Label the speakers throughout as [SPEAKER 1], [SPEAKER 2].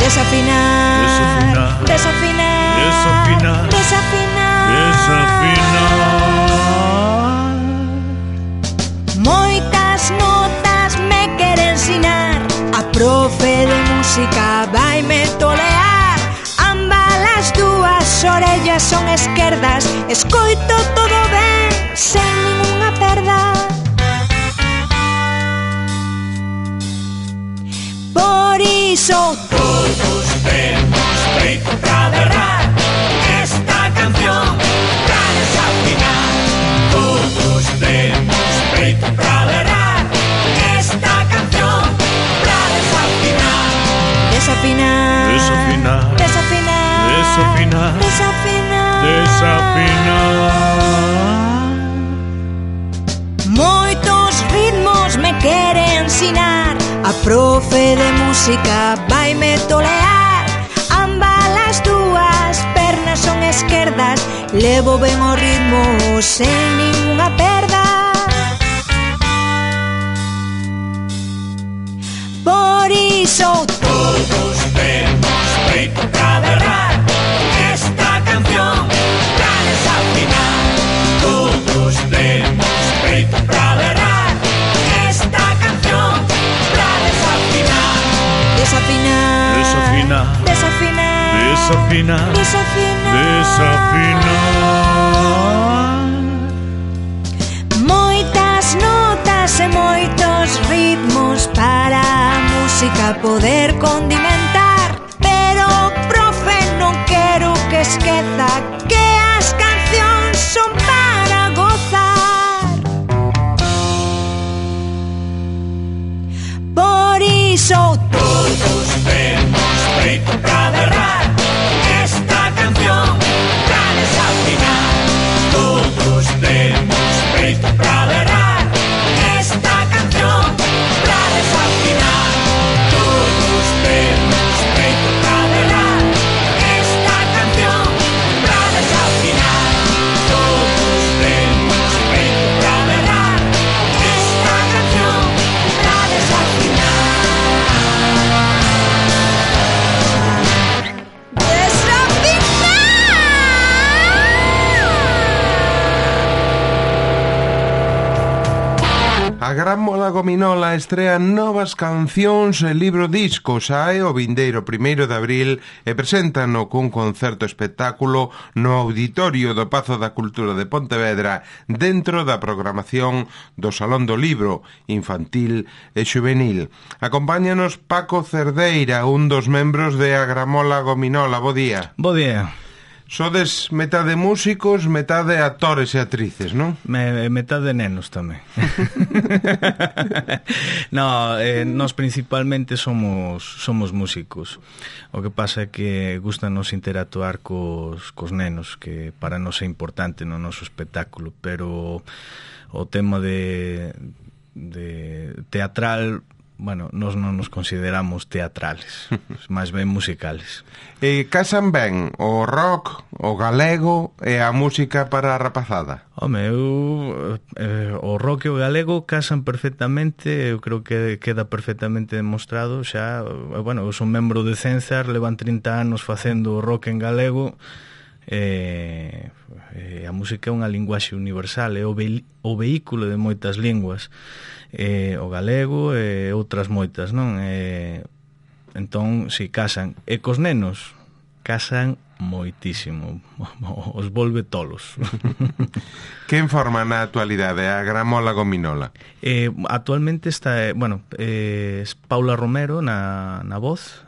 [SPEAKER 1] Desafinar, desafinar, desafinar, desafinar, desafinar. Moitas notas me quere ensinar, a profe de música vaime tolear. Ambas as dúas orellas son esquerdas, escoito todo ben, sen ninguna perda. Por iso todos temos peito pra berrar esta canción pra desafinar. Todos temos peito pra berrar esta canción pra desafinar. Desafinar, desafinar, desafinar, desafinar, desafinar, desafinar. Moitos ritmos me quere ensinar, a profe de música vaime tolear. Ambas as dúas pernas son esquerdas, levo ben o ritmo sen ninguna perda. Por iso todos temos peito pra berrar esta canción pra desafinar. Todos temos peito pra berrar esta canción pra desafinar. Desafinar, desafinar, desafinar, desafinar, desafinar, desafinar. Moitas notas e moitos ritmos para a música poder condimentar, pero profe non quero que esqueza que as cancións son para gozar. Por iso todos temos peito pra berrar esta canción pra desafinar. Todos temos peito pra berrar esta canción pra desafinar. Todos temos peito pra berrar esta canción pra desafinar. Todos temos peito pra berrar esta canción pra desafinar.
[SPEAKER 2] A Gramola Gominola estrea novas cancións e libro disco. Sae o vindeiro 1º de abril e preséntano cun concerto espectáculo no Auditorio do Pazo da Cultura de Pontevedra, dentro da programación do Salón do Libro Infantil e Xuvenil. Acompáñanos Paco Cerdeira, un dos membros de A Gramola Gominola. Bo día.
[SPEAKER 3] Bo día.
[SPEAKER 2] Sodes metade músicos, metade actores e actrices, non?
[SPEAKER 3] Metade nenos tamén. No, nós principalmente somos músicos. O que pasa é que gustanos interactuar cos nenos, que para nós é importante no noso espectáculo, pero o tema de teatral, bueno, nós non nos consideramos teatrales, máis ben musicales.
[SPEAKER 2] Casan ben o rock, o galego e a música para a rapazada?
[SPEAKER 3] Home, o rock e o galego casan perfectamente, eu creo que queda perfectamente demostrado xa. Bueno, eu son membro de Censar, levan 30 anos facendo rock en galego. A música é unha linguaxe universal, é o vehículo de moitas linguas, o galego e outras moitas, non? Entón, si, casan. E cos nenos casan moitísimo, os volve tolos.
[SPEAKER 2] Quen forma na actualidade a Gramola Gominola?
[SPEAKER 3] Actualmente está, Paula Romero na voz,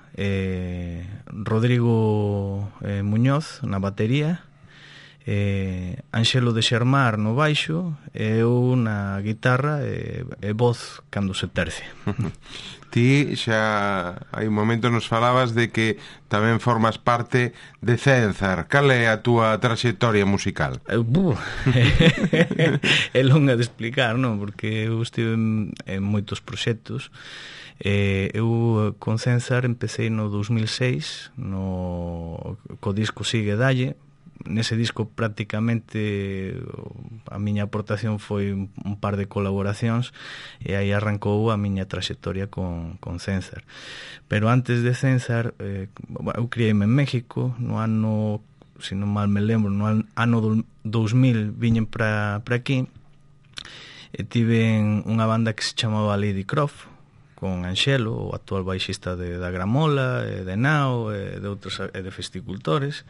[SPEAKER 3] Rodrigo Muñoz na batería, Anxelo de Xermar no baixo e eu na guitarra e voz cando se terce.
[SPEAKER 2] Ti xa hai un momento nos falabas de que tamén formas parte de Censar. Cal é a túa traxectoria musical?
[SPEAKER 3] É longa de explicar, non? Porque eu estive en moitos proxectos. Eu con Censar empecé no 2006 co disco Sigue Dalle. nese disco prácticamente a miña aportación foi un par de colaboracións e aí arrancou a miña traxectoria con Censar. Pero antes de Censar, eu criei-me en México no ano, se non mal me lembro, no ano 2000 viñen para aquí e tiven unha banda que se chamaba Lady Croft con Anxelo, o actual baixista da Gramola, de Nao, de outros, de Festicultores.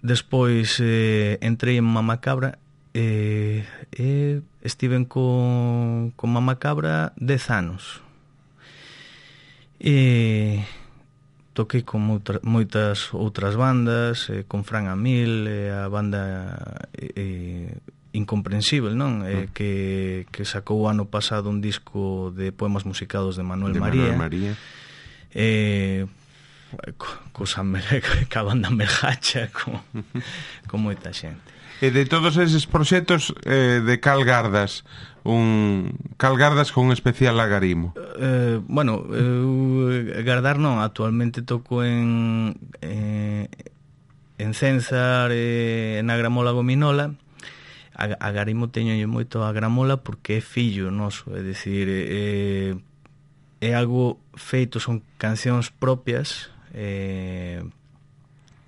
[SPEAKER 3] Despois entrei en Mamacabra e estiven con Mamacabra 10 anos. E toquei con moitas outras bandas, con Fran Amil, a banda Incomprensible, non? Que sacou o ano pasado un disco de poemas musicados de Manuel María. Ca banda Melgacha, con moita xente.
[SPEAKER 2] E de todos eses proxectos, de cal gardas? Cal gardas con un especial agarimo?
[SPEAKER 3] Bueno, gardar non, actualmente toco en Censar, na Gramola Gominola. A Garimo teño moito a Gramola porque é fillo noso, é dicir, é algo feito, son cancións propias,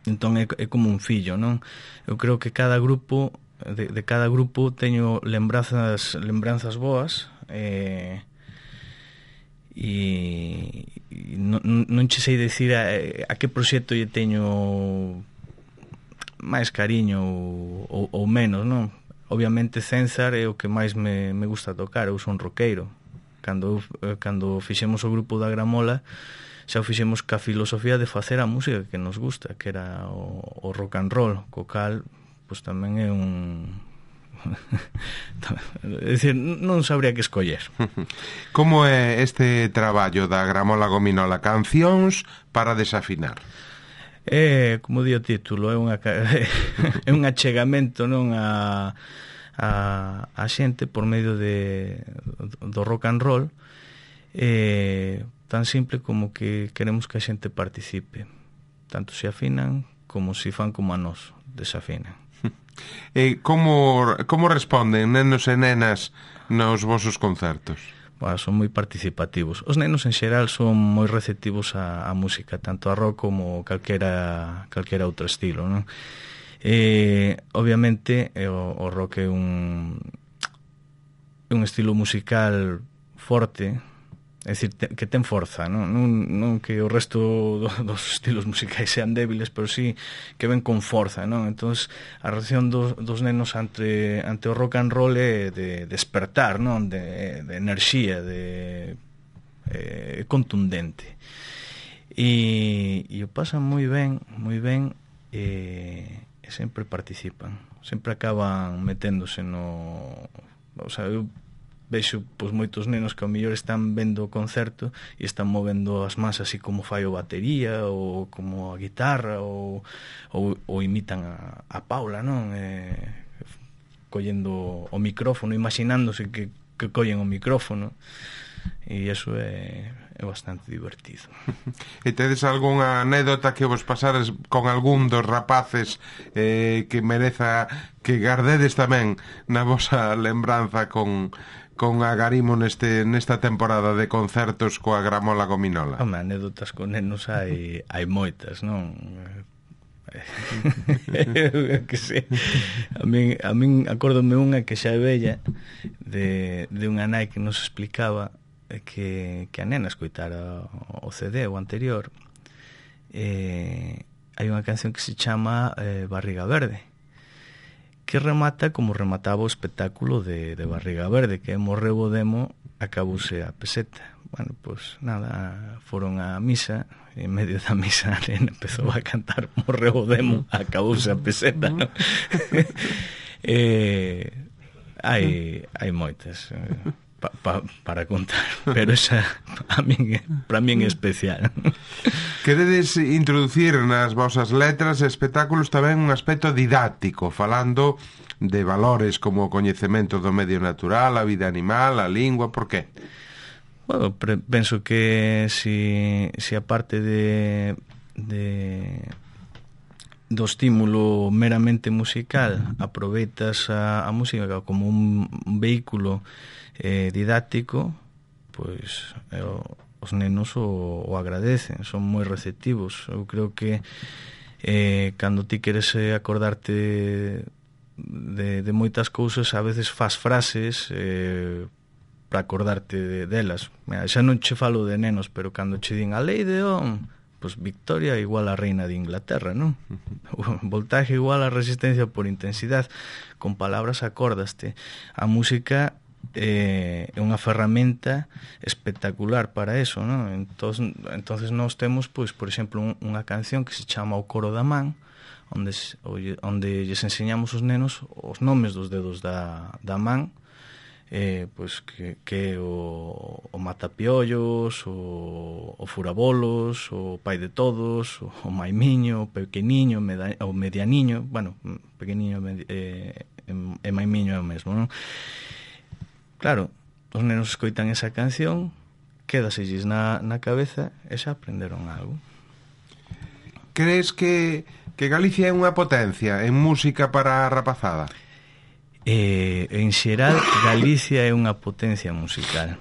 [SPEAKER 3] entón é como un fillo, non? Eu creo que cada grupo, de cada grupo teño lembranzas boas, e non che sei dicir a que proxecto lle teño máis cariño ou menos, non? Obviamente Censar é o que máis me gusta tocar. Eu son roqueiro. Cando fixemos o grupo da Gramola, xa o fixemos ca filosofía de facer a música que nos gusta, que era o rock and roll, co cal pois tamén é un é dicir, non sabría que escoller.
[SPEAKER 2] Como é este traballo da Gramola Gominola? Cancións para desafinar.
[SPEAKER 3] Como di o título, é un achegamento, non, a xente por medio do rock and roll, tan simple como que queremos que a xente participe, tanto se afinan como se fan como a nós desafinan.
[SPEAKER 2] Como responden nenos e nenas nos vosos concertos?
[SPEAKER 3] Son moi participativos. Os nenos en xeral son moi receptivos a música, tanto a rock como calquera outro estilo, non? Obviamente o rock é un estilo musical forte, é dicir, que ten forza, non que o resto dos estilos musicais sean débiles, pero sí que ven con forza, non? Entón, a reacción dos nenos ante o rock and roll é de despertar, non? De enerxía, contundente. E o pasan moi ben, e sempre participan, sempre acaban meténdose no... O sea, eu vexo pois moitos nenos que ao mellor están vendo o concerto e están movendo as mans así como fai o batería ou como a guitarra ou imitan a Paula, non? Collendo o micrófono, imaginándose que collen o micrófono, e iso é bastante divertido.
[SPEAKER 2] E tedes algunha anécdota que vos pasares con algún dos rapaces que mereza que gardedes tamén na vosa lembranza con Agarimo nesta temporada de concertos coa Gramola Gominola?
[SPEAKER 3] Anécdotas con nenos hai moitas, non? Que sei. A min acórdome unha que xa é bella, de unha nai que nos explicaba que a nena escoitara o CD o anterior. Hai unha canción que se chama Barriga Verde, que remata como remataba o espectáculo de Barriga Verde, que morreu o demo, acabouse a peseta. Bueno, pois nada, foron á misa, e en medio da misa a nena empezou a cantar morreu o demo, acabouse a peseta, non? Hai moitas para contar, pero esa para min é especial.
[SPEAKER 2] Queredes introducir nas vosas letras e espectáculos tamén un aspecto didáctico, falando de valores como o coñecemento do medio natural, a vida animal, a lingua, por que?
[SPEAKER 3] Bueno, penso que si a parte de do estímulo meramente musical aproveitas a música como un vehículo didáctico, pois os nenos o agradecen, son moi receptivos. Eu creo que cando ti queres acordarte de moitas cousas, a veces fas frases para acordarte delas. Xa non che falo de nenos, pero cando che din a lei de Ohm, pois Victoria igual a reina de Inglaterra, non? Voltaje igual a resistencia por intensidade. Con palabras acordaste. A música é unha ferramenta espectacular para eso, non? Entonces nós temos, pois, por exemplo, unha canción que se chama O Coro da Man, onde lles enseñamos os nenos os nomes dos dedos da man, pois que o matapiollos, o furabolos, o pai de todos, o maimiño, o pequeniño, o medianiño, bueno, pequeniño e maimiño é o mesmo, non? Claro, os nenos escoitan esa canción, quédaselles na cabeza e xa aprenderon algo.
[SPEAKER 2] Crees que Galicia é unha potencia en música para a rapazada?
[SPEAKER 3] En xeral, Galicia é unha potencia musical.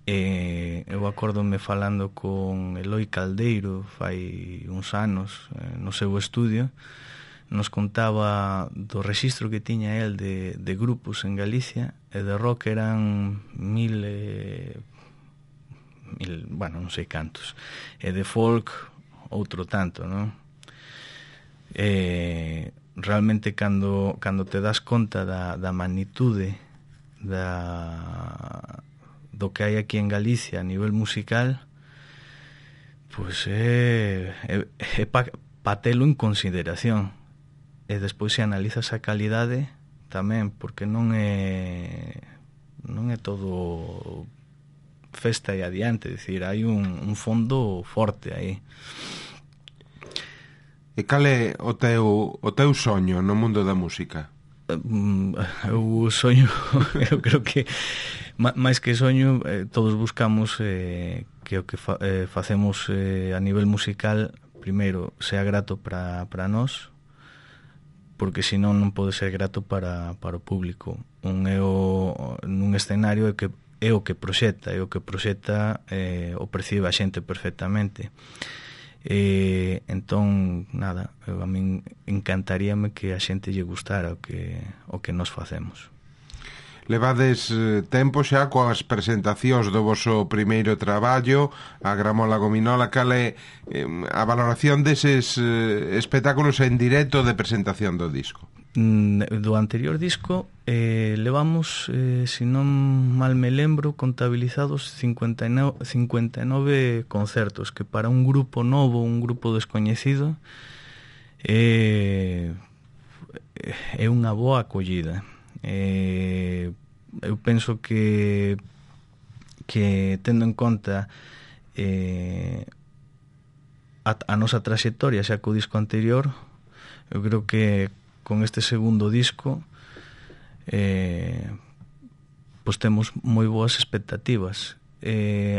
[SPEAKER 3] Eu acórdome falando con Eloi Caldeiro fai uns anos no seu estudio, nos contaba do rexistro que tiña el de grupos en Galicia, e de rock eran mil, bueno, non sei cantos, e de folk outro tanto, non? Realmente cando te das conta da magnitude do que hai aquí en Galicia a nivel musical, pois é pa telo en consideración. E despois se analizas a calidade tamén, porque non é todo festa e adiante, dicir, hai un fondo forte aí.
[SPEAKER 2] E cal é o teu soño no mundo da música?
[SPEAKER 3] O soño, eu creo que máis que soño, todos buscamos que o que facemos a nivel musical primeiro sea grato para nós, porque senón non pode ser grato para o público. Nun escenario é o que proxecta, o percibe a xente perfectamente. Entón, nada, a min encantaríame que a xente lle gustara o que nos facemos.
[SPEAKER 2] Levades tempo xa coas presentacións do voso primeiro traballo, a Gramola Gominola. Cal é a valoración deses espectáculos en directo de presentación do disco?
[SPEAKER 3] Do anterior disco levamos, se non mal me lembro, contabilizados 59 concertos, que para un grupo novo, un grupo descoñecido, é unha boa acollida. Eu penso que tendo en conta a nosa traxectoria xa co disco anterior, eu creo que con este segundo disco pois temos moi boas expectativas.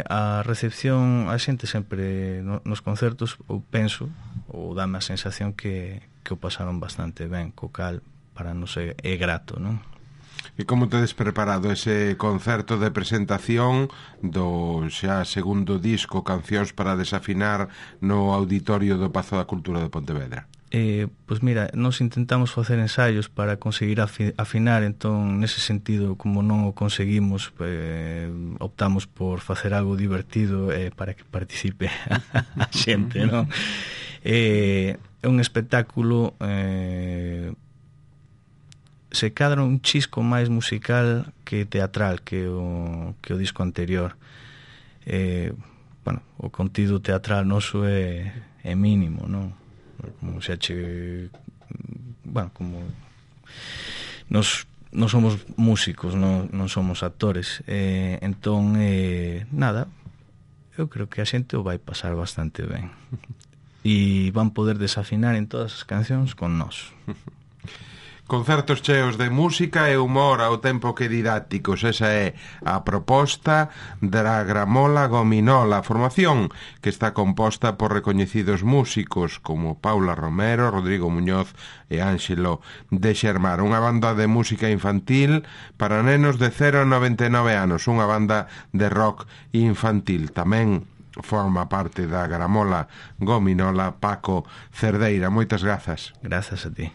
[SPEAKER 3] A recepción, a xente sempre nos concertos, eu penso, ou dame a sensación que o pasaron bastante ben, co cal para nos é grato, non?
[SPEAKER 2] E como tedes preparado ese concerto de presentación do xa segundo disco Cancións para desafinar no auditorio do Pazo da Cultura de Pontevedra?
[SPEAKER 3] Pois mira, nos intentamos facer ensaios para conseguir afinar, entón nese sentido, como non o conseguimos, optamos por facer algo divertido para que participe a xente, non? É un espectáculo se cadra un chisco máis musical que teatral que o disco anterior. Bueno, o contido teatral noso é mínimo, non? Como se bueno, como nos somos músicos, non somos actores, entón nada, eu creo que a xente o vai pasar bastante ben e van poder desafinar en todas as cancións con nós.
[SPEAKER 2] Concertos cheos de música e humor ao tempo que didácticos. Esa é a proposta da Gramola Gominola, formación que está composta por recoñecidos músicos como Paula Romero, Rodrigo Muñoz e Ángelo de Xermar. Unha banda de música infantil para nenos de 0 a 99 anos, unha banda de rock infantil. Tamén forma parte da Gramola Gominola Paco Cerdeira. Moitas grazas.
[SPEAKER 3] Grazas a ti.